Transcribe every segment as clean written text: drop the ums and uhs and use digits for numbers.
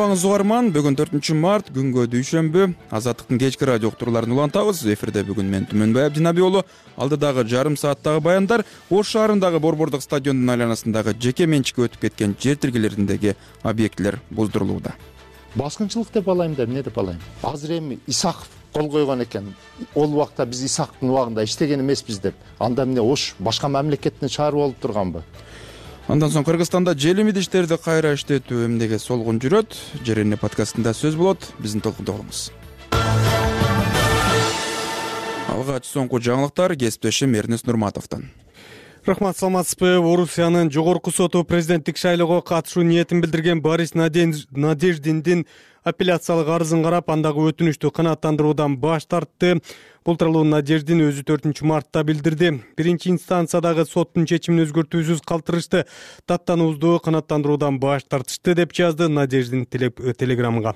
Саламатсызбы угарман. Бүгүн 4-март күнгө дүйшөмбү. Азаттыктын кечки радио уктурууларын улантабыз. Эфирде бүгүн мен Түмөнбай Абдинабиулу. Алдыдагы жарым сааттагы баяндар Ош шаарындагы Борбордук стадиондун айланасындагы жеке менчикке өтүп кеткен жер тилкелериндеги объектилер буздурулууда. Баскынчылык деп алайын да эмне деп алайын. Азыр эми Исаков кол койгон экен. Ол убакта биз Исаковдун убагында иштеген эмеспиз деп. Анда эмне Ош башка мамлекеттин шаары болуп турганбы? Андан соң Кыргызстанда желим идиштерди кайра иштетүү эмнеге солгун жүрөт? Жерене подкастында сөз болот. Биздин толкунда болуңуз. Алгач соңку жаңылыктар кесиптешим Эрнес Нурматовдон. Рахмат, саламатсызбы. Орусиянын жогорку соту президенттик шайлоого катышуу ниетин билдирген Борис Надеждиндин апелляциялык арызын карап, андагы өтүнүштү канааттандыруудан баш тартты. Бул тууралуу Надеждин өзү 4-мартта билдирди. Биринчи инстанциядагы соттун чечимин өзгөртүүсүз калтырышты. Даттануубузду канааттандыруудан баш тартышты деп жазды Надеждин телеграммага.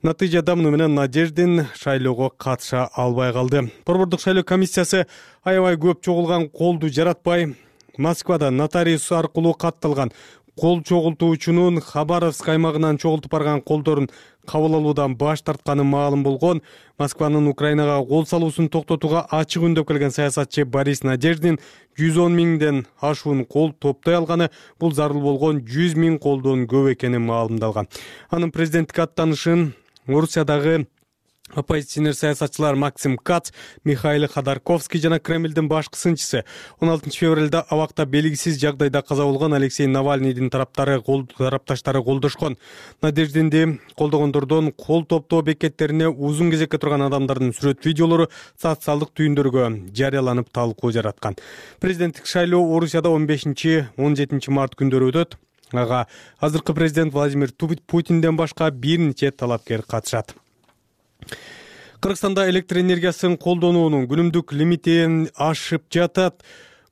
Натыйжада муну менен Надеждин шайлоого катыша албай калды. Борбордук шайлоо комиссиясы аябай көп чогулган колду жаратпай, Москвада нотариус аркылуу катталган кол чогултуучунун Хабаровск аймагынан чогултуп барган колдорун кабыл алуудан баш тартканы маалым болгон. Москванын Украинага кол салуусун токтотууга ачык үндөп келген саясатчы Борис Надеждин 110 миңден ашуун кол топтой алганы, бул зарыл болгон 100 миң колдон көп экени маалымдалган. Анын президенттик аттанышын Орусиядагы оппозиционер саясатчылар Максим Кац, Михаил Ходорковский жана Кремлдин башкы сынчысы 16 февралда абакта белгисиз жагдайда каза болгон Алексей Навальныйдын тарапташтары колдошкон. Надеждинди колдогондордон кол топтоо бекеттерине узун кезекке турган адамдардын сүрөт видеолору социалдык түйүндөргө жарыяланып талкуу жараткан. Президенттик шайлоо Орусияда 15-17 март күндөрү өтөт. Ага азыркы президент Владимир Путинден башка бир нече талапкер катышат. Кыргызстанда электр энергиясын колдонуунун күнүмдүк лимити ашып жатат.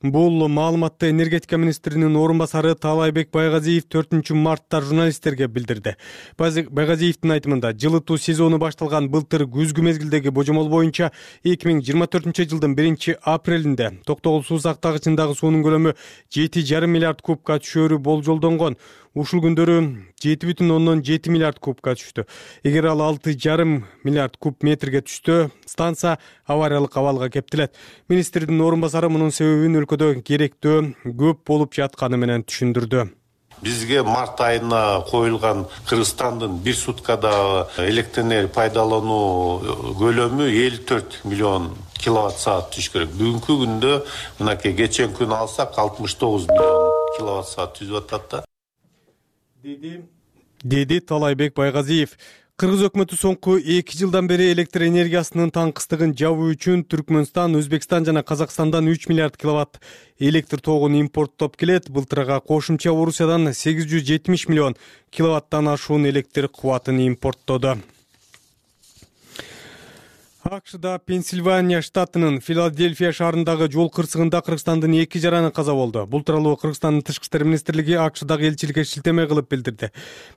Бул маалыматты энергетика министринин орун басары Таалайбек Байгазиев 4-мартта журналисттерге билдирди. Байгазиевдин айтымында, жылытуу сезону башталган былтыр күзгү мезгилдеги божомол боюнча 2024-жылдын 1-апрелинде Токтогул суу сактагычындагы суунун көлөмү 7,5 миллиард кубка түшөөрү болжолдонгон. Ушул күндөрү 7,7 миллиард кубка түштү. Эгер ал 6,5 миллиард куб метрге түштү, станция авариялык абалга кептелет. Министрдин орун басары мунун себебин өлкөдө керектөө көп болуп жатканы менен түшүндүрдү. Бизге март айына коюлган Кыргызстандын бир суткада электр энергия пайдалануу көлөмү 54 миллион киловатт саат түшүш керек. Бүгүнкү күндө мынакей кечен күн алсак 69 миллион киловатт саат түзүп атат да. Деди Таалайбек Байгазиев. Кыргыз өкмөтү соңку 2 жылдан бери электр энергиясынын таңкыстыгын жабуу үчүн Түркмөнстан, Өзбекстан жана Казакстандан 3 миллиард киловатт электр тогун импорттоп келет. Былтырга кошумча Орусиядан 870 миллион киловаттан ашуун электр кубатын импорттоду. АКШда Пенсильвания штатынын Филадельфия шаарындагы жол кырсыгында Кыргызстандын 2 жараны каза болду. Бул тууралуу Кыргызстандын Тышкы иштер министрлиги АКШдагы элчиликке шилтеме кылып билдирди.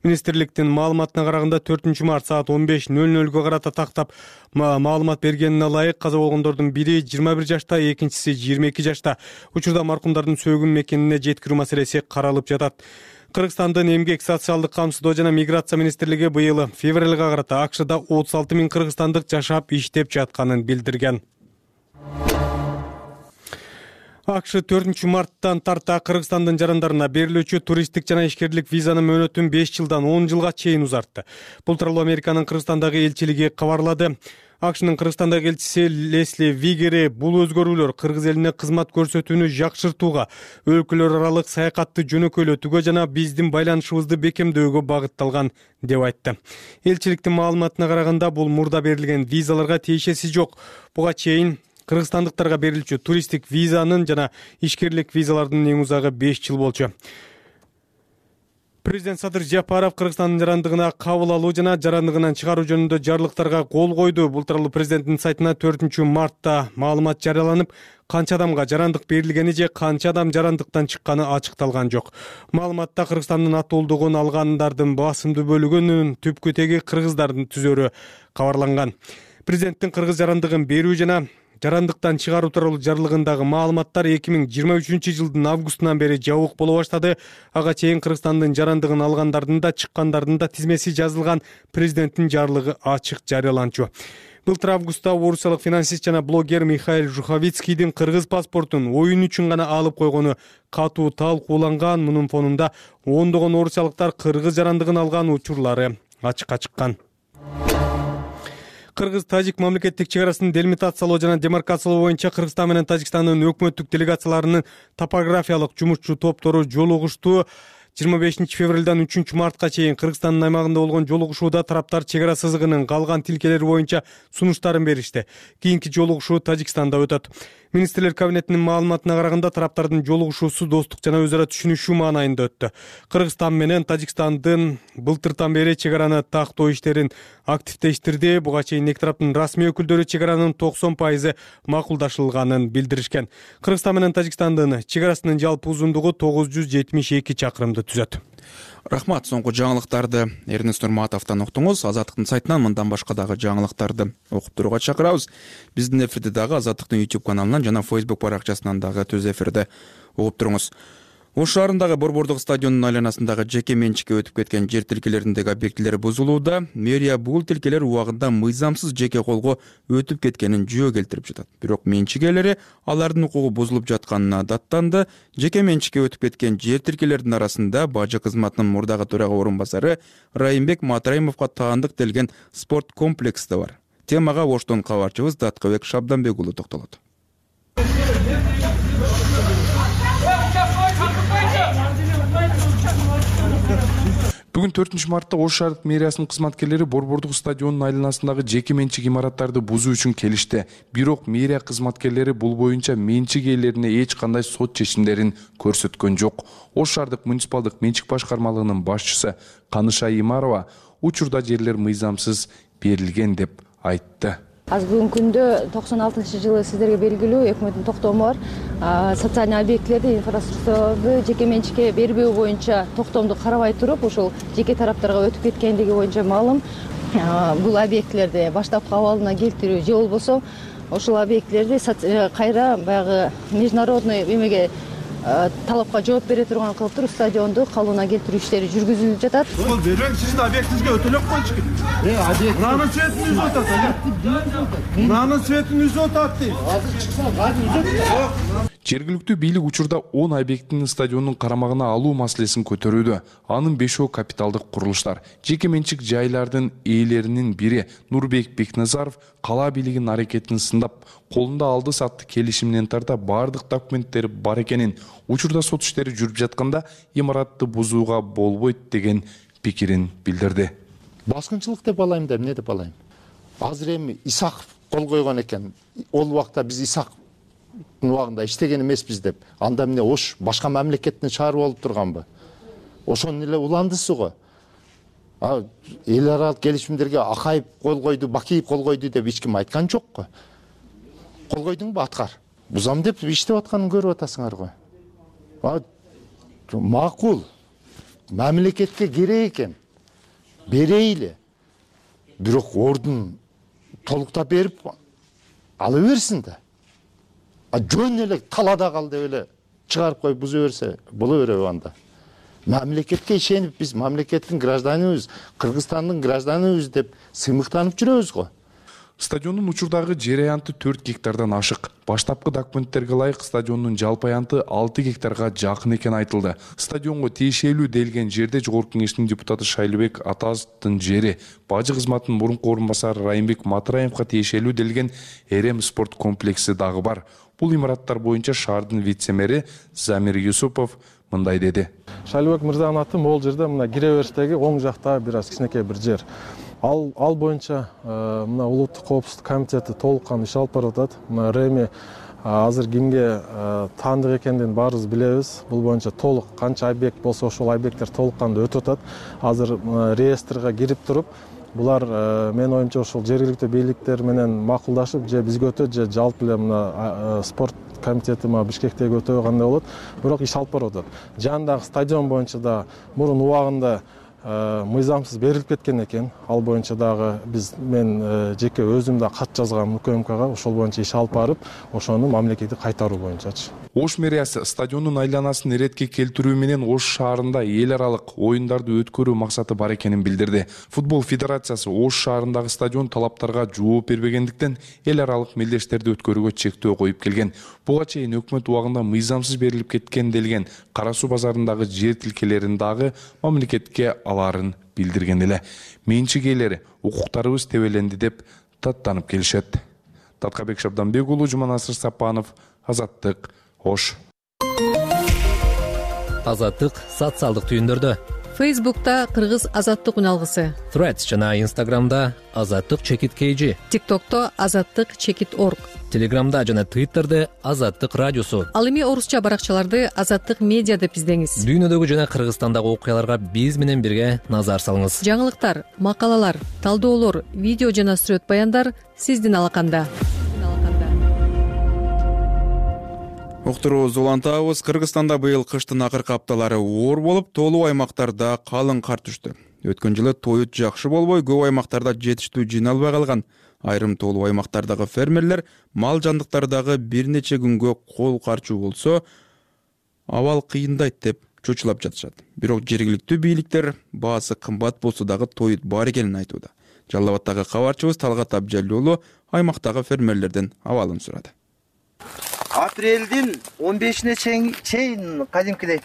Министрликтин маалыматына караганда 4-март саат 15:00 карата тактап маалымат бергенине ылайык каза болгондордун бири 21 жашта, экинчиси 22 жашта. Учурда маркумдардын сөөгүн мекенине жеткирүү маселеси каралып жатат. Кыргызстандын эмгек, социалдык камсыздоо жана миграция министрлиги быйыл февралга карата АКШда 36 миң кыргызстандык жашап иштеп жатканын билдирген. АКШ 4-марттан тарта Кыргызстандын жарандарына берилүүчү туристтик жана ишкерлик визанын мөөнөтүн 5 жылдан 10 жылга чейин узартты. Бул тууралуу Американын Кыргызстандагы элчилиги кабарлады. АКШнын Кыргызстандагы элчиси Лесли Вигери бул өзгөрүүлөр кыргыз элине кызмат көрсөтүүнү жакшыртууга, өлкөлөр аралык саякатты жөнөкөйлөтүүгө жана биздин байланышыбызды бекемдөөгө багытталган деп айтты. Элчиликтин маалыматына караганда, бул мурда берилген визаларга тиешеси жок. Буга чейин кыргызстандыктарга берилчү туристтик визанын жана ишкерлик визалардын эң узагы 5 жыл болчу. Президент Садыр Жапаров Кыргызстандын жарандыгына кабыл алуу жана жарандыгынан чыгаруу жөнүндө жарлыктарга кол койду. Бул тууралуу президенттин сайтына 4-мартта маалымат жарыяланып, канча адамга жарандык берилгени же канча адам жарандыктан чыкканы ачыкталган жок. Маалыматта Кыргызстандын атуулдугун алгандардын басымдуу бөлүгүнүн түпкү теги кыргыздардын түзөрү кабарланган. Президенттин кыргыз жарандыгын берүү жана жарандыктан чыгаруу тууралуу жарлыгындагы маалыматтар 2023-жылдын августунан бери жабык боло баштады. Ага чейин Кыргызстандын жарандыгын алгандардын да чыккандардын да тизмеси жазылган президенттин жарлыгы ачык жарыяланчу. Былтыр августта орусиялык финансист жана блогер Михаил Жуховицкийдин кыргыз паспортун оюн үчүн гана алып койгону катуу талкууланган. Мунун фонунда ондогон орусиялыктар кыргыз жарандыгын алган учурлары ачыкка чыккан. Кыргыз-Тажик мамлекеттик чек арасын делимитациялоо жана демаркациялоо боюнча Кыргызстан менен Тажикстандын өкмөттүк делегацияларынын топографиялык жумушчу топтору жолугушту. 25 февралдан 3 мартка чейин Кыргызстандын аймагында болгон жолугушууда тараптар чек ара сызыгынын калган тилкелери боюнча сунуштарын беришти. Кийинки жолугушуу Тажикстанда өтөт. Министрлер кабинетинин маалыматына караганда тараптардын жолугушуусу достук жана өзара түшүнүшүү маанайында өттү. Кыргызстан менен Тажикстандын былтыртан бери чек араны тактоо иштерин активдештирди. Буга чейин эки тараптын расмий өкүлдөрү чек аранын 90% макулдашылганын билдиришкен. Кыргызстан менен Тажикстандын чек арасынын жалпы узундугу 972 чакырымды түзөт. Рахмат. Соңку жаңылыктарды Эрнест Нурматовдон уктуңуз. Азаттыктын сайтынан мындан башка дагы жаңылыктарды окуп турууга чакырабыз. Биздин эфирди дагы Азаттыктын YouTube каналынан жана Facebook баракчасынан дагы түз эфирде угуп туруңуз. Ош шаарындагы Борбордук стадионунун айланасындагы жеке менчикке өтүп кеткен жер тилкелериндеги объектилер бузулууда. Мэрия бул тилкелер убагында мыйзамсыз жеке колго өтүп кеткенин жөө келтирип жатат. Бирок менчик ээлери алардын укугу бузулуп жатканына даттанды. Жеке менчикке өтүп кеткен жер тилкелердин арасында бажы кызматынын мурдагы төрага орун басары Райымбек Матраимовго таандык делген спорт комплекси да бар. Темага Оштон кабарчыбыз Даткыбек Шабданбек уулу токтолот. Бүгүн 4-мартта Ош шаардык мэриясынын кызматкерлери Борбордук стадионунун айланасындагы жеке менчик имараттарды бузуу үчүн келишти. Бирок мэрия кызматкерлери бул боюнча менчик ээлерине эч кандай сот чечимдерин көрсөткөн жок. Ош шаардык муниципалдык менчик башкармалыгынын башчысы Каныша Имарова учурда жерлер мыйзамсыз берилген деп айтты. Аз бүгүнкү күндө 96-жылы сиздерге белгилүү өкмөттүн токтому бар. Социальный объектилерди, инфраструктураларды жеке менчикке бербөө боюнча токтомду карабай туруп, ушул жеке тараптарга өтүп кеткендиги боюнча маалым. Бул объектилерди баштапкы абалына келтирүү же болбосо ушул объектилерди кайра баягы международный эмеге талапка жооп бере турган кылып туруп стадионду калыбына келтирүү иштери жүргүзүлүп жатат. Бул бербең, сиздин объектиңизге өтө элек койчу. Мынанын светин үзүп атат. Мынанын светин үзүп атат дейт. Азыр чыкса кайра үзөт. Жергиликтүү бийлик учурда 10 объектини стадиондун карамагына алуу маселесин көтөрүүдө. Анын 5өө капиталдык курулуштар. Жеке менчик жайлардын ээлеринин бири Нурбек Бекназаров кала бийлигинин аракетин сындап, колунда алды сатты келишиминен тарта бардык документтери бар экенин, учурда сот иштери жүрүп жатканда имаратты бузууга болбойт деген пикирин билдирди. Баскынчылык деп алайм да, эмне деп алайм? Азыр эми Исаков кол койгон экен. Ол убакта биз Исаков убагында иштеген эмеспиз деп. Анда эмне Ош башка мамлекеттин шаары болуп турганбы? Ошонун эле уландысы го. Эл аралык келишимдерге Акаев кол койду, Бакиев кол койду деп эч ким айткан жок го. Кол койдуңбу, аткар. Бузам деп иштеп атканын көрүп атасыңар го. Макул. Мамлекетке керек экен. Берейли. Бирок ордун толуктап берип ала берсин да. Жөн эле талада кал деп эле чыгарып коюп буза берсе боло береби анда? Мамлекетке ишенип биз мамлекеттин гражданыбыз, Кыргызстандын гражданыбыз деп сыймыктанып жүрөбүз го. Стадиондун учурдагы жер аянты 4 гектардан ашык. Баштапкы документтерге ылайык стадиондун жалпы аянты 6 гектарга жакын экени айтылды. Стадионго тиешелүү делген жерде Жогорку Кеңештин депутаты Шайлыбек Атазовдун жери, бажы кызматынын мурунку орун басары Райымбек Матраимовго тиешелүү делген Эрем спорт комплекси дагы бар. Бул имараттар боюнча шаардын вице-мэри Замир Юсупов мындай деди. Шайлыбек мырзанын аты могул жерде мына кире бериштеги оң жакта бир аз кичинекей бир жер. Ал боюнча мына улуттук коопсуздук комитети толук кандуу иш алып барып атат. Мына Реми азыр кимге таандык экендигин баарыбыз билебиз. Бул боюнча толук канча объект болсо ошол объекттер толук кандуу өтүп атат. Азыр реестрге кирип туруп, булар менин оюмча ошол жергиликтүү бийликтер менен макулдашып, же бизге өтөт, же жалпы эле мына спорт комитети Бишкектеги өтөбү кандай болот. Бирок иш алып барып атат. Жанындагы стадион боюнча да мурун убагында мыйзамсыз берилип кеткен экен. Ал боюнча дагы мен жеке өзүм да кат жазгам УКМКга, ошол боюнча иш алып барып, ошону мамлекетке кайтаруу боюнчачы. Ош мэриясы стадиондун айланасын иретке келтирүү менен Ош шаарында эл аралык оюндарды өткөрүү максаты бар экенин билдирди. Футбол федерациясы Ош шаарындагы стадион талаптарга жооп бербегендиктен эл аралык мелдештерди өткөрүүгө чектөө коюп келген. Буга чейин өкмөт убагында мыйзамсыз берилип кеткен делген Кара Суу базарындагы жер тилкелерин дагы мамлекетке аларын билдирген эле. Менчик ээлери укуктарыбыз тебеленди деп даттанып келишет. Таткабек Шабданбек уулу, Жуманасыр Сапанов, Азаттык, Ош. Азаттык социалдык түйүндөрдө. Фейсбукта Кыргыз Азаттык үналгысы. Threads жана Instagramда Азаттык чекит KG. TikTokто Азаттык чекит org. Телеграмда жана Twitterде Азаттык радиосу. Ал эми орусча баракчаларды Азаттык медиа деп издеңиз. Дүйнөдөгү жана Кыргызстандагы окуяларга биз менен бирге назар салыңыз. Жаңылыктар, макалалар, талдоолор, видео жана сүрөт баяндар сиздин алаканда. Уктурубузду улантабыз. Кыргызстанда быйыл кыштын акыркы апталары оор болуп, толуу аймактарда калың кар түштү. Өткөн жылы тоют жакшы болбой, көп аймактарда жетиштүү жиналбай калган. Айрым толуу аймактардагы фермерлер мал жандыктары дагы бир нече күнгө кол карчуу болсо, абал кыйындайт деп чочулап жатышат. Бирок жергиликтүү бийликтер баасы кымбат болсо дагы тоют бар экенин айтууда. Жалал Абаддагы кабарчыбыз Талгат Абжалил уулу аймактагы фермерлерден абалын сурады. Апрелдин 15-ине чейин кадимкидей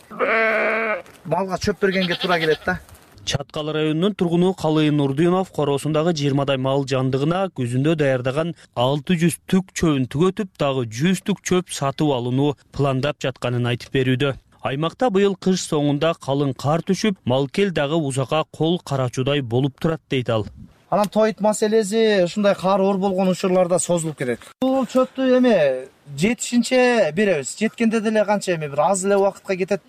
малга чөп бергенге туура келет да. Чаткал районунун тургуну Калыйын Нурдинов короосундагы 20 мал жандыгына күзүндө даярдаган 600 түк чөбүн түгөтүп, дагы 100 түк чөп сатып алууну пландап жатканын айтып берүүдө. Аймакта быйыл кыш соңунда калың кар түшүп, малкел дагы узакка кол карачуудай болуп турат дейт ал. Анан тоют маселеси ушундай кар оор болгон учурларда созулуп кетет. Бул чөптү эме жетишинче беребиз. Жеткенде деле канча эме бир аз эле убакытка кетет.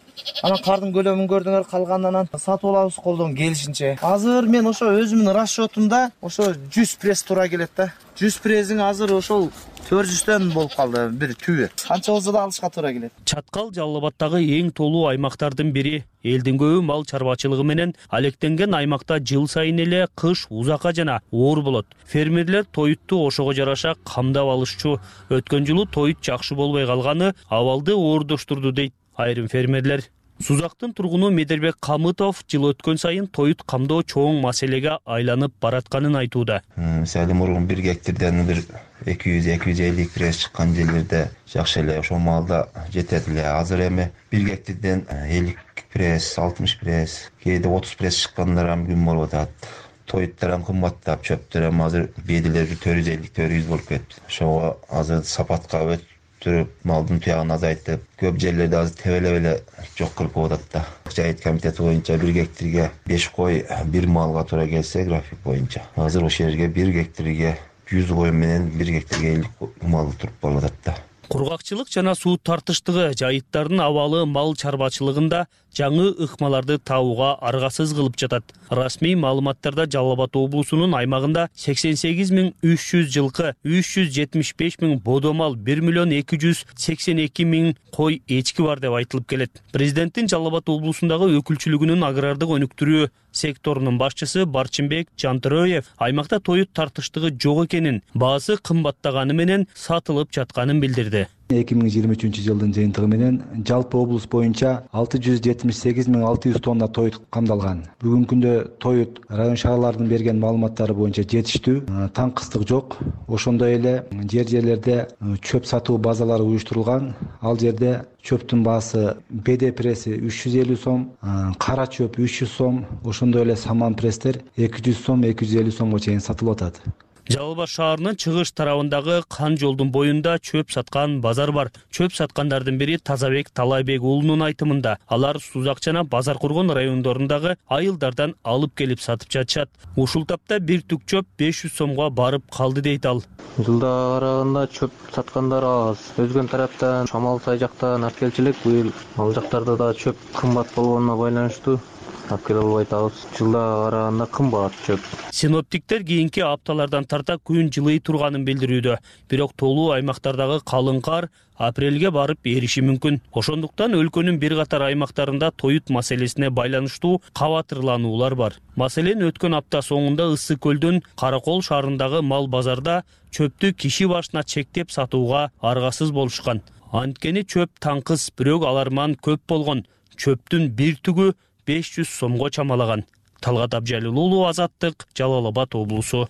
Анан кардын көлөмүн көрдүңөр, калганынан сатып алабыз колдон келишинче. Азыр мен ошо өзүмдүн расчетумда ошо 100 пресс туура келет да. 100 прессиң азыр ошол 400төн болуп калды бир түбү. Канча болсо да алышка туура келет. Чаткал Жалал Абаддагы эң толуу аймактардын бири. Элдин көбү мал чарбачылыгы менен алектенген аймакта жыл сайын эле кыш узакка жана оор болот. Фермерлер тоютту ошого жараша камдап алышчу. Өткөн жылы тоют жакшы болбой калганы абалды оордоштурду дейт айрым фермерлер. Сузактын тургуну Медербек Камытов жыл өткөн сайын тоют камдоо чоң маселеге айланып баратканын айтууда. Мисалы мурун 1 гектардан бир 200-250 пресс чыккан жерлерде жакшы эле ошол малда жетет эле. Азыр эми 1 гектардан 50 пресс, 60 пресс, кээде 30 пресс чыккандар ham күн болуп атат. Тоюттар ham кымбаттап, чөптөр ham азыр беделер 450-400 болуп кетти. Ошого азыр сапатка өтүрүп, малдын туягын азайтып, көп жерлерде азыр тебелеп эле жок кылып атат да. Жайыт комитети боюнча 1 гектарга 5 кой 1 малга туура келсе график боюнча. Азыр ошол жерге 1 гектарга 100 кой менен 1 гектарга 50 мал туруп калып атат да. Кургакчылык жана суу тартыштыгы жайыттардын абалы мал чарбачылыгында жаңы ыкмаларды табууга аргасыз кылып жатат. Расмий маалыматтарда Жалал Абад облусунун аймагында 88.300 жылкы, 375.000 бодомал, 1.282.000 кой эчки бар деп айтылып келет. Президенттин Жалал Абад облусундагы өкүлчүлүгүнүн агрардык өнүктүрүү секторунун башчысы Барчынбек Жантөрөев аймакта тоют тартыштыгы жок экенин, баасы кымбаттаганы менен сатылып жатканын билдирди. 2023-жылдын жыйынтыгы менен жалпы облус боюнча 678.600 тонна тоют камдалган. Бүгүнкү күндө тоют район шаарлардын берген маалыматтары боюнча жетиштүү, таңкыстык жок. Ошондой эле жерлерде чөп сатуу базалары уюштурулган. Ал жерде чөптүн баасы БД пресси 350 сом, кара чөп 300 сом, ошондой эле саман пресстер 200 сом, 250 сомго чейин сатылып атат. Жалал Абад шаарынын чыгыш тарабындагы Кан жолдун боюнда чөп саткан базар бар. Чөп саткандардын бири Тазабек Талайбек уулунун айтымында. Алар Сузак жана Базар Кургон райондорундагы айылдардан алып келип сатып жатышат. Ушул тапта бир түк чөп 500 сомго барып калды дейт ал. Жылда караганда чөп саткандар аз. Өзгөн тараптан Шамал сай жактан алып келчилик, быйыл ал жактарда да чөп кымбат болгонуна байланыштуу алып келе албай атабыз. Жылдага караганда кымбат чөп. Синоптиктер кийинки апталардан тарта күн жылый турганын билдирүүдө. Бирок толуу аймактардагы калың кар апрелге барып эриши мүмкүн. Ошондуктан өлкөнүн бир катар аймактарында тоют маселесине байланыштуу кабатырлануулар бар. Маселен, өткөн апта соңунда Ыссы көлдөн Каракол шаарындагы мал базарда чөптү киши башына чектеп сатууга аргасыз болушкан. Анткени чөп таңкыс, бирок аларман көп болгон. Чөптүн бир түгү 500 сомго чамалаган. Талгат Абжалил, Азаттык, Жалал Абад облусу.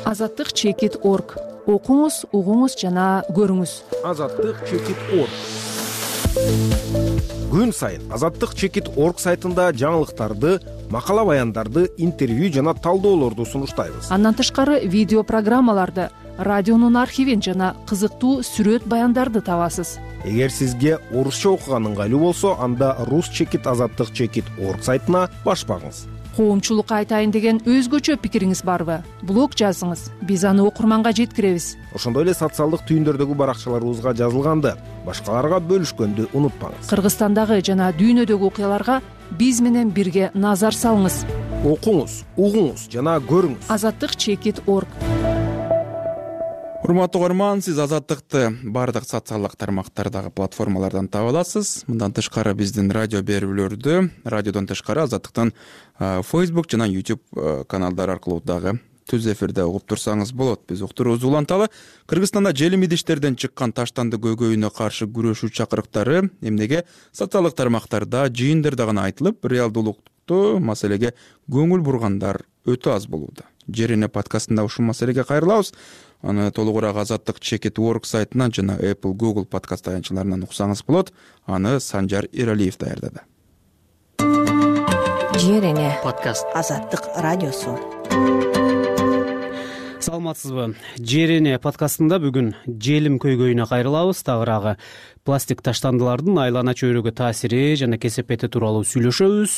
Азаттык чекит.org. Окуңуз, угуңуз жана көрүңүз. Азаттык чекит.org. Күн сайын Азаттык чекит.org сайтында жаңылыктарды, макала баяндарды, интервью жана талдоолорду сунуштайбыз. Андан тышкары видео программаларды, радионун архивин жана кызыктуу сүрөт баяндарды табасыз. Эгер сизге орусча окуган ыңгайлуу болсо, анда рус чекит азаттык чекит.org сайтына баш багыңыз. Коомчулукка айтайын деген өзгөчө пикириңиз барбы? Блог жазыңыз, биз аны окурманга жеткиребиз. Ошондой эле социалдык түйүндөрдөгү баракчаларыбызга жазылганды, башкаларга бөлүшкөндү унутпаңыз. Кыргызстандагы жана дүйнөдөгү окуяларга биз менен бирге назар салыңыз. Окуңуз, угуңуз жана көрүңүз. Азаттык чекит.org. Урматтуу угарман, сиз Азаттыкты бардык социалдык тармактардагы платформалардан таба аласыз. Мындан тышкары биздин радио берүүлөрдү, радиодон тышкары Азаттыктын Facebook жана YouTube каналдары аркылуу дагы түз эфирде угуп турсаңыз болот. Биз уктуруубузду уланталы. Кыргызстанда желим идиштерден чыккан таштанды көйгөйүнө каршы күрөшүү чакырыктары эмнеге социалдык тармактарда, жыйындарда гана айтылып, реалдуулукту маселеге көңүл бургандар өтө аз болууда. Жерине подкастында ушул маселеге кайрылабыз. Аны толугураак Азаттык чекит.org сайтынан жана Apple, Google подкаст таянчаларынан уксаңыз болот. Аны Санжар Иралиев даярдады. Жерине подкаст Азаттык радиосу. Саламатсызбы? Жерине подкастында бүгүн желим көйгөйүнө кайрылабыз. Тагыраагы пластик таштандылардын айлана чөйрөгө таасири жана кесепети тууралуу сүйлөшөбүз.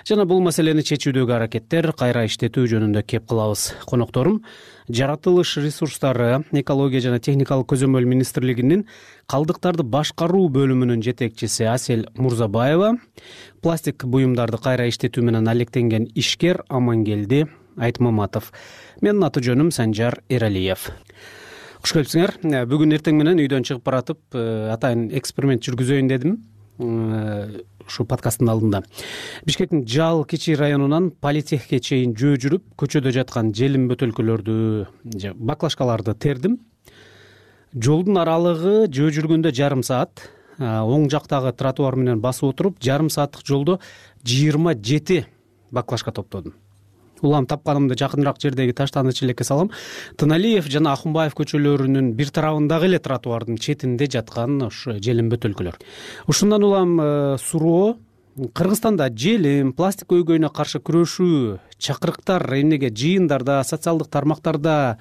Жана бул маселени чечүүдөгү аракеттер кайра иштетүү жөнүндө кеп кылабыз. Конокторум Жаратылыш ресурстары, экология жана техникалык көзөмөл министрлигинин калдыктарды башкаруу бөлүмүнүн жетекчиси Асель Мурзабаева, пластик буюмдарды кайра иштетүү менен алектенген ишкер Амангелди Айтмаматов. Менин аты жөнүм Санжар Эралиев. Куш келипсиңер. Бүгүн эртең менен үйдөн чыгып баратып, атайын эксперимент жүргүзөйүн дедим. Ушу подкасттын алдында Бишкектин Жал Кичи районунан Политехке чейин жөө жүрүп, көчөдө жаткан желим бөтөлкөлөрдү, баклажкаларды тердим. Жолдун аралыгы жөө жүргөндө жарым саат, оң жактагы тротуар менен басып отуруп, жарым сааттык жолдо 27 баклажка топтодум. Улам тапканымды жакыныраак жердеги таштанды челекке салам. Тыналиев жана Ахунбаев көчөлөрүнүн бир тарабындагы эле тротуардын четинде жаткан ушу желим бөтөлкөлөр. Ушундан улам суроо Кыргызстанда желим, пластик көйгөйүнө каршы күрөшүү чакырыктар эмнеге жыйындарда, социалдык тармактарда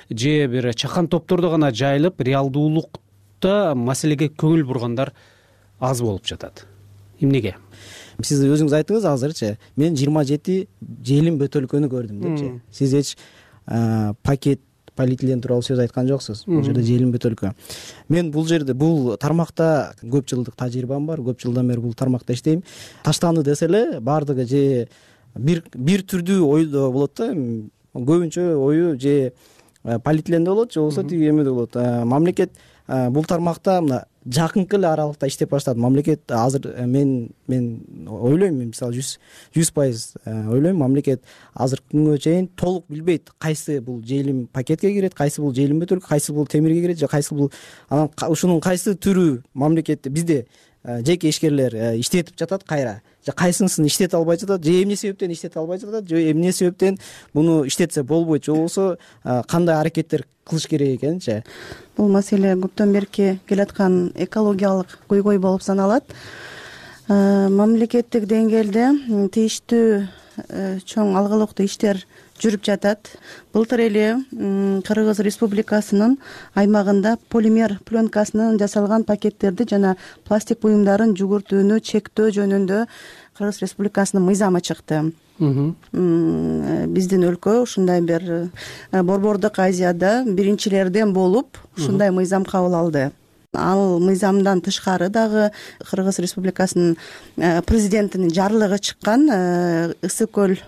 же бир чакан топтордо гана жайылып, реалдуулукта маселеге көңүл бургандар аз болуп жатат. Эмнеге? Сиз өзүңүз айтыңыз азырчы. Мен 27 желим бөтөлкөнү көрдүм депчи. Сиз эч пакет, полиэтилен тууралуу сөз айткан жоксуз. Бул жерде желим бөтөлкө. Мен бул жерде бул тармакта көп жылдык тажрыйбам бар. Көп жылдан бери бул тармакта иштейм. Таштанды десе эле бардыгы же бир түрдүү ойдо болот да. Көбүнчө ою же полиэтиленде болот, же болбосо тиги эмеде болот. Мамлекет бул тармакта мына жакынкы эле аралыкта иштеп баштады. Мамлекет азыр мен ойлойм, мисалы 100% ойлойм, мамлекет азыркы күнгө чейин толук билбейт кайсы бул желим пакетке кирет, кайсы бул желим бөтөлкө, кайсы бул темирге кирет, же кайсы бул анан ушунун кайсы түрү мамлекетте бизде жеке ишкерлер иштетип жатат кайра, же кайсынысын иштете албай жатат, же эмне себептен иштете албай жатат, же эмне себептен буну иштетсе болбойт, же болбосо кандай аракеттер кылыш керек экенчи. Бул маселе көптөн берки келаткан экологиялык көйгөй болуп саналат. Мамлекеттик деңгээлде тийиштүү чоң алгылыктуу иштер жүрүп жатат. Былтыр эле Кыргыз Республикасынын аймагында полимер пленкасынан жасалган пакеттерди жана пластик буюмдарын жүгүртүүнү чектөө жөнүндө Кыргыз Республикасынын мыйзамы чыкты. Биздин өлкө ушундай бир Борбордук Азияда биринчилерден болуп ушундай мыйзам кабыл алды. Ал мыйзамдан тышкары дагы Кыргыз Республикасынын президентинин жарлыгы чыккан Ысык көл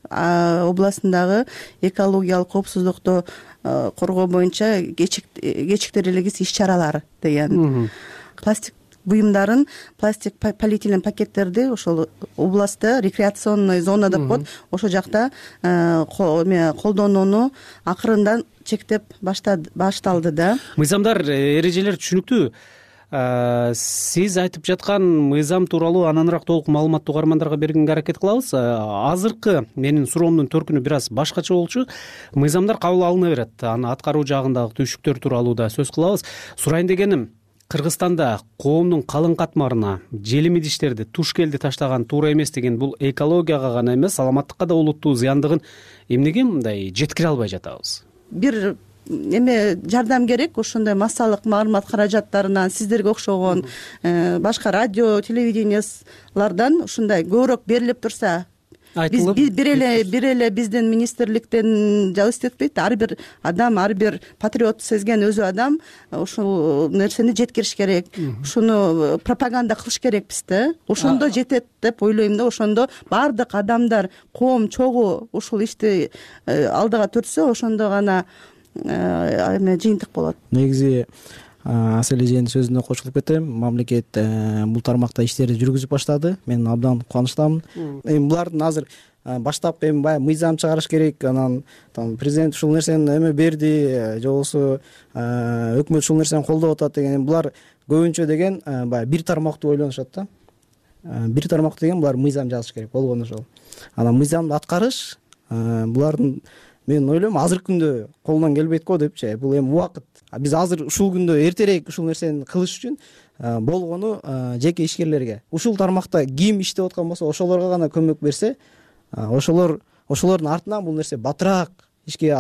областындагы экологиялык коопсуздукту коргоо боюнча кечиктирилгис иш чаралар деген. Пластик буюмдарын, пластик полиэтилен пакеттерди ошол областта рекреационный зона деп коет, ошол жакта колдонууну акырындан чектеп башталды да. Мыйзамдар, эрежелер түшүнүктүү. Сиз айтып жаткан мыйзам тууралуу ананырак толук маалыматты угармандарга бергенге аракет кылабыз. Азыркы менин суроомдун төркүнү бир аз башкача болчу. Мыйзамдар кабыл алына берет. Аны аткаруу жагындагы түйшүктөр тууралуу да сөз кылабыз. Сурайын дегеним, Кыргызстанда коомдун калың катмарына желим идиштерди, туш келди таштаган туура эмес деген бул экологияга гана эмес, саламаттыкка да олуттуу зыяндыгын эмнеге мындай жеткире албай жатабыз? Бир жардам керек, ошондой массалык маалымат каражаттарынан сиздерге окшогон башка радио, телевидениялардан ушундай көбүрөөк берилип турса, бир эле биздин министрликтен жалгыз этпейт, ар бир адам, ар бир патриот сезген өзү адам ушул нерсени жеткириш керек, ушуну пропаганда кылыш керекпиз да. Ошондо жетет деп ойлойм да. Ошондо баардык адамдар, коом чогуу ушул ишти алдыга төртсө, ошондо гана жыйынтык болот. Негизи Асел эженин сөзүнө кошулуп кетем. Мамлекет бул тармакта иштерди жүргүзүп баштады. Мен абдан кубанычтамын. Эми булардын азыр баштапкы эми баягы мыйзам чыгарыш керек, анан президент ушул нерсени эме берди, же болбосо өкмөт ушул нерсени колдоп атат деген. Булар көбүнчө деген баягы бир тармактуу ойлонушат да. Бир тармактуу деген булар мыйзам жазыш керек болгону ошол. Анан мыйзамды аткарыш булардын, мен ойлойм, азыркы күндө колунан келбейт го депчи. Бул эми убакыт. Биз азыр ушул күндө эртерээк ушул нерсени кылыш үчүн болгону жеке ишкерлерге, ушул тармакта ким иштеп аткан болсо ошолорго гана көмөк берсе, ошолордун артынан бул нерсе батыраак ишке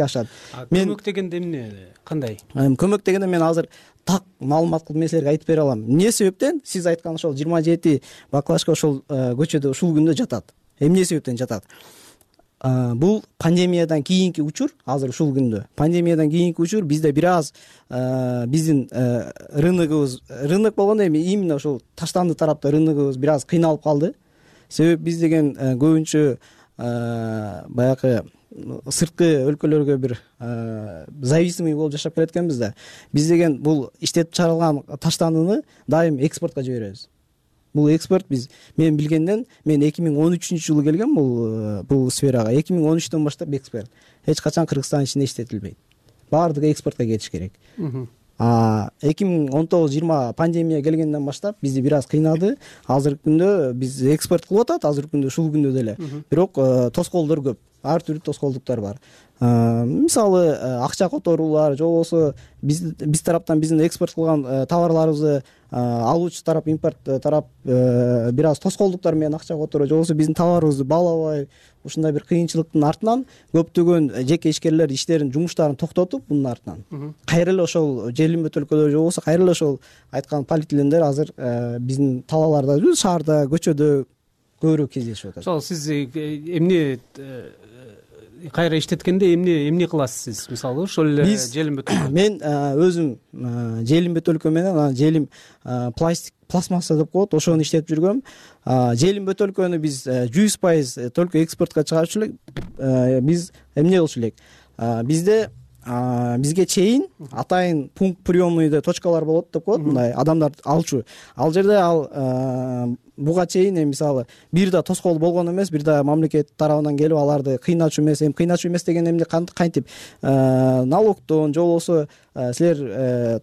ашат. Көмөк дегенде эмне, кандай? Көмөк дегенде мен азыр так маалымат кылып эмнелерге айтып бере алам. Эмне себептен сиз айткан ошол 27 баклажка ошол көчөдө ушул күндө жатат? Эмне себептен жатат? Бул пандемиядан кийинки учур, азыр ушул күндө. Пандемиядан кийинки учур бизде бир аз биздин рынок болгондо эми именно ошол таштанды тарапта рыногубуз бир аз кыйналып калды. Себеби биз деген көбүнчө баягы сырткы өлкөлөргө бир зависимый болуп жашап келеткенбиз да. Биз деген бул иштеп чыгарылган таштандыны дайым экспортко жиберебиз. Бул экспорт мен билгенден, мен 2013-жылы келгем бул сферага. 2013-төн баштап экспорт эч качан Кыргызстан ичинде иштетилбейт. Баардыгы экспортко кетиш керек. 2019-20 пандемия келгенден баштап бизди бир аз кыйнады. Азыркы күндө биз экспорт кылып атат, азыркы күндө ушул күндө деле. Бирок тоскоолдор көп. Ар түрдүү тоскоолдуктар бар. Мисалы акча которуулар, же болбосо биз тараптан биздин экспорт кылган товарларыбызды алуучу тарап, импорт тарап бир аз тоскоолдуктар менен акча которуу, же болбосо биздин товарыбызды баалабай, ушундай бир кыйынчылыктын артынан көптөгөн жеке ишкерлер иштерин, жумуштарын токтотуп, бунун артынан кайра эле ошол желим бөтөлкөлөр, же болбосо кайра эле ошол айткан полиэтилендер азыр биздин талааларда, шаарда, көчөдө көбүрөөк кездешип атат. Ошол сиз эмне кайра иштеткенде эмне кыласыз сиз? Мисалы ошол эле желим бөтөлкө. Мен өзүм желим бөтөлкө менен анан желим пластмасса деп коет, ошону иштетип жүргөм. Желим бөтөлкөнү биз 100% только экспортко чыгарчу элек. Биз эмне кылчу элек? Бизге чейин атайын пункт приемныйда точкалар болот деп коет, мындай адамдар алчу. Ал жерде буга чейин мисалы бир да тоскоол болгон эмес, бир да мамлекет тарабынан келип аларды кыйначу эмес. Кыйначу эмес деген эмне, кантип налогдон, же болбосо силер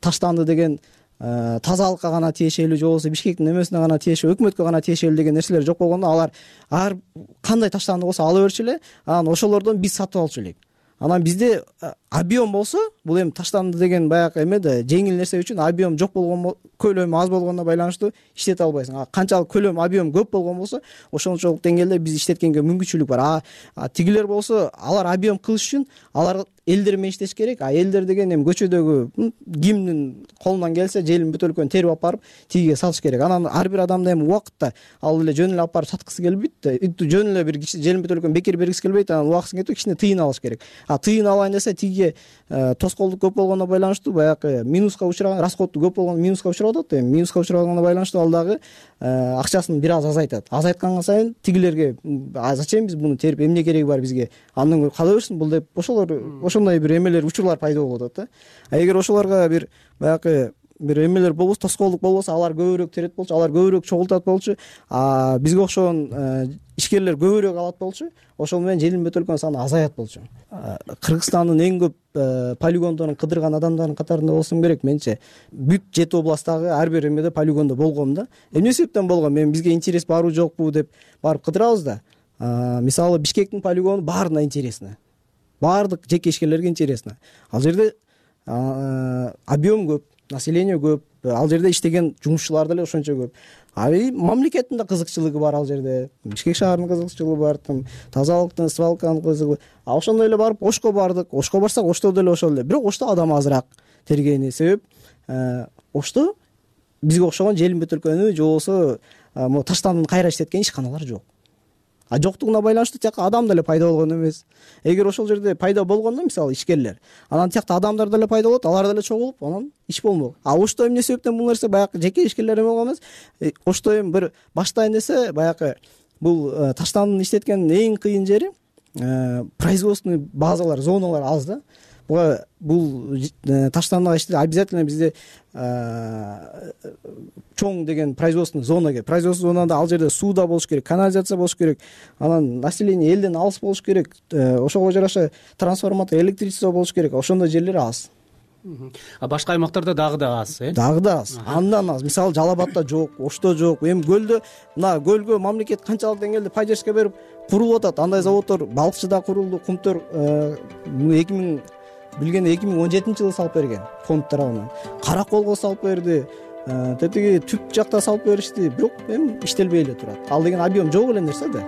таштанды деген тазалыкка гана тиешелүү, же болбосо Бишкектин эмесине гана тиешелүү, өкмөткө гана тиешелүү деген нерселер жок болгондо, алар ар кандай таштанды болсо ала берчү эле, анан ошолордон биз сатып алчу элек. Анан бизде объем болсо, бул эми таштанды деген баягы эме да жеңил нерсе үчүн объем жок болгон, көлөмү аз болгондо байланыштуу иштете албайсың. Канчалык көлөм, объем көп болгон болсо, ошончолук деңгээлде биз иштеткенге мүмкүнчүлүк бар. Тигилер болсо, алар объем кылыш үчүн алар элдер менен иштеш керек. Элдер деген эми көчөдөгү кимдин колунан келсе желим бөтөлкөнү терип алып барып тигиге сатыш керек. Анан ар бир адамда эми убакытта ал эле жөн эле алып барып саткысы келбейт да. Жөн эле бир желим бөтөлкөнү бекер бергиси келбейт. Анан убакытын кетип кичине тыйын алыш керек. Тыйын алайын десе, тиги бизге тоскоолдук көп болгондо байланыштуу баягы минуска учураган, расходу көп болгондо минуска учурап атат. Эми минуска учураганга байланыштуу ал дагы акчасын бир аз азайтат. Азайтканга сайын тигилерге зачем биз буну терип, эмне кереги бар бизге, андан көрө кала берсин бул деп ошондой бир эмелер, учурлар пайда болуп атат да. А эгер ошолорго бир баягы бир эмелер болбосо, тоскоолдук болбосо, алар көбүрөөк терет болчу, алар көбүрөөк чогултат болчу, бизге окшогон ишкерлер көбүрөөк алат болчу, ошол менен желим бөтөлкөнүн саны азаят болчу. Кыргызстандын эң көп полигондорун кыдырган адамдардын катарында болсом керек менче. Бүт 7 областтагы ар бир эмеде полигондо болгом да. Эмне себептен болгом? Мен бизге интерес барбы жокпу деп барып кыдырабыз да. Мисалы Бишкектин полигону баарына интересно. Баардык жеке ишкерлерге интересно. Ал жерде объем көп, население көп, ал жерде иштеген жумушчулар деле ошончо көп. Мамлекеттин да кызыкчылыгы бар ал жерде. Бишкек шаарынын кызыкчылыгы бар, тазалыктын, свалканын кызыгы. Ошондой эле барып Ошко бардык. Ошко барсак, Ошто деле ошол эле. Бирок Ошто адам азыраак тергени себеп Ошто бизге окшогон Желим бөтөлкөнү же болбосо Таштандын кайра иштеткен ишканалар жок. Жоктугуна байланыштуу тияка адам деле пайда болгон эмес. Эгер ошол жерде пайда болгондо, мисалы ишкерлер, анан тиякта адамдар деле пайда болот, алар деле чогулуп, анан иш болмок. Ошто эмне себептен бул нерсе баягы жеке ишкерлер эме болгон эмес. Ошто эми бир баштайын десе, баягы бул Таштандын иштеткен эң кыйын жери производственный базалар, зоналар аз да. Бул Таштандага иштеп обязательно бизде чоң деген производственный зона керек. Производственный зонада ал жерде суу да болуш керек, канализация болуш керек. Анан население элден алыс болуш керек. Ошого жараша трансформатор, электричество болуш керек. Ошондой жерлер аз. Башка аймактарда дагы да аз, Дагы да аз. Андан аз. Мисалы Жалал-Абадта жок, Ошто жок. Эми көлдө, мына көлгө мамлекет канчалык деңгээлде поддержка берип курулуп атат. Андай заводдор Балыкчыда курулду, Кумтөр 2017-жылы салып берген фонд тарабынан. Караколго салып берди. Тетиги түп жакта салып беришти. Бирок эми иштелбей эле турат. Ал деген объем жок эле нерсе да.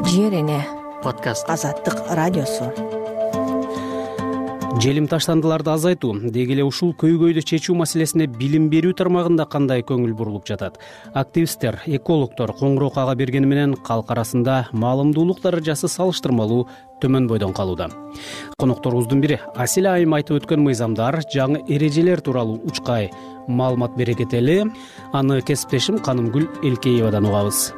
Жер эне подкаст Азаттык радиосу. Желим таштандыларды азайтуу, деги эле ушул көйгөйдү чечүү маселесине билим берүү тармагында кандай көңүл бурулуп жатат? Активисттер, экологдор коңгуроо ага бергени менен калк арасында маалымдуулук даражасы салыштырмалуу төмөн бойдон калууда. Конокторубуздун бири Аселя айым айтып өткөн мыйзамдар, жаңы эрежелер тууралуу учкай маалымат бере кетели. Аны кесиптешим Канымгүл Элкеевадан угабыз.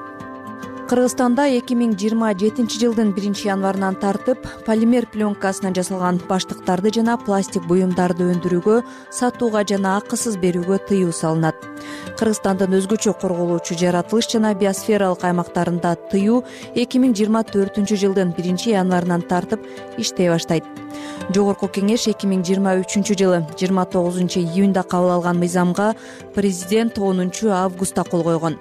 Кыргызстанда 2027-жылдын 1-январынан тартып полимер пленкасынан жасалган баштыктарды жана пластик буюмдарды өндүрүүгө, сатууга жана акысыз берүүгө тыюу салынат. Кыргызстандын өзгөчө корголуучу жаратылыш жана биосфералык аймактарында тыюу 2024-жылдын 1-январынан тартып иштей баштайт. Жогорку кеңеш 2023-жылы 29-июнда кабыл алган мыйзамга президент 10-августта кол койгон.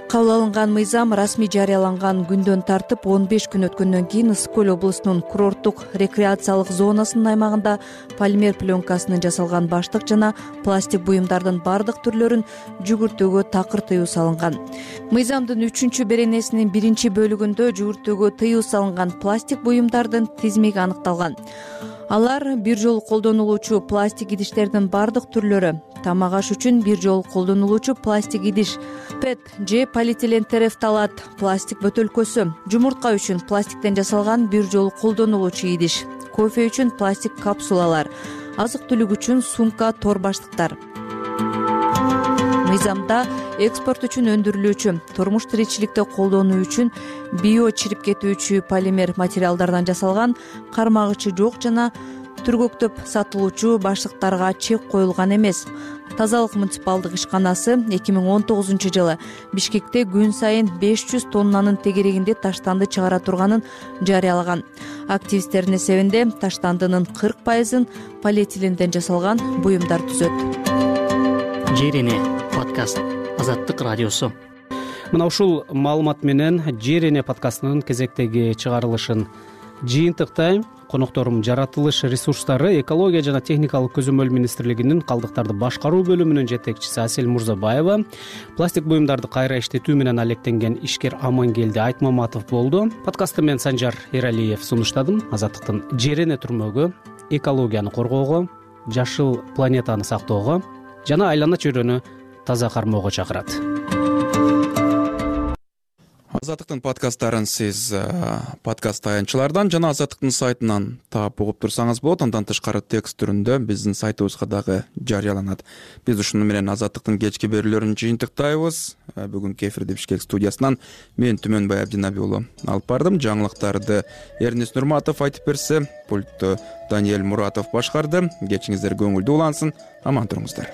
Кабыл алынган мыйзам расмий жарыяланган күндөн тартып 15 күн өткөндөн кийин Ысык көл облусунун курорттук рекреациялык зонасынын аймагында полимер пленкасынан жасалган баштык жана пластик буюмдардын бардык түрлөрүн жүгүртүүгө такыр тыюу салынган. Мыйзамдын 3-беренесинин 1-бөлүгүндө жүгүртүүгө тыюу салынган пластик буюмдардын тизмеги аныкталган. Алар бир жолу колдонулуучу пластик идиштердин бардык түрлөрү, тамак аш үчүн бир жолу колдонулуучу пластик идиш, ПЭТ же полиэтилен терефталат пластик бөтөлкөсү, жумуртка үчүн пластиктен жасалган бир жолу колдонулуучу идиш, кофе үчүн пластик капсулалар, азык-түлүк үчүн сумка, тор баштыктар. Мыйзамда экспорт үчүн өндүрүлүүчү, турмуш тиричиликте колдонуу үчүн био чирип кетүүчү полимер материалдардан жасалган кармагычы жок жана түргөктөп сатылуучу баштыктарга чек коюлган эмес. Тазалык муниципалдык ишканасы 2019-жылы Бишкекте күн сайын 500 тоннанын тегерегинде таштанды чыгара турганын жарыялаган. Активисттердин эсебинде таштандынын 40%-ын полиэтиленден жасалган буюмдар түзөт. Жер эне подкаст Азаттык радиосу. Мына ушул маалымат менен Жер эне подкастынын кезектеги чыгарылышын жыйынтыктайм. Конокторум жаратылыш ресурстары, экология жана техникалык көзөмөл министрлигинин калдыктарды башкаруу бөлүмүнүн жетекчиси Асель Мурзабаева, пластик буюмдарды кайра иштетүү менен алектенген ишкер Амангелди Айтмаматов болду. Подкастты мен Санжар Эралиев сунуштадым. Азаттыктын Жер эне түрмөгү, экологияны коргоого, жашыл планетаны сактоого жана айлана чөйрөнү таза кармоого чакырат. Азаттыктын подкасттарын сиз подкаст таянчылардан жана Азаттыктын сайтынан таап угуп турсаңыз болот. Андан тышкары текст түрүндө биздин сайтыбызга дагы жарыяланат. Биз ушуну менен Азаттыктын кечки берүүлөрүн жыйынтыктайбыз. Бүгүнкү эфирди Бишкек студиясынан мен Түмөнбай Абдинаби уулу алып бардым. Жаңылыктарды Эрнис Нурматов айтып берсе, пультту Даниэль Муратов башкарды. Кечиңиздер көңүлдүү улансын. Аман туруңуздар.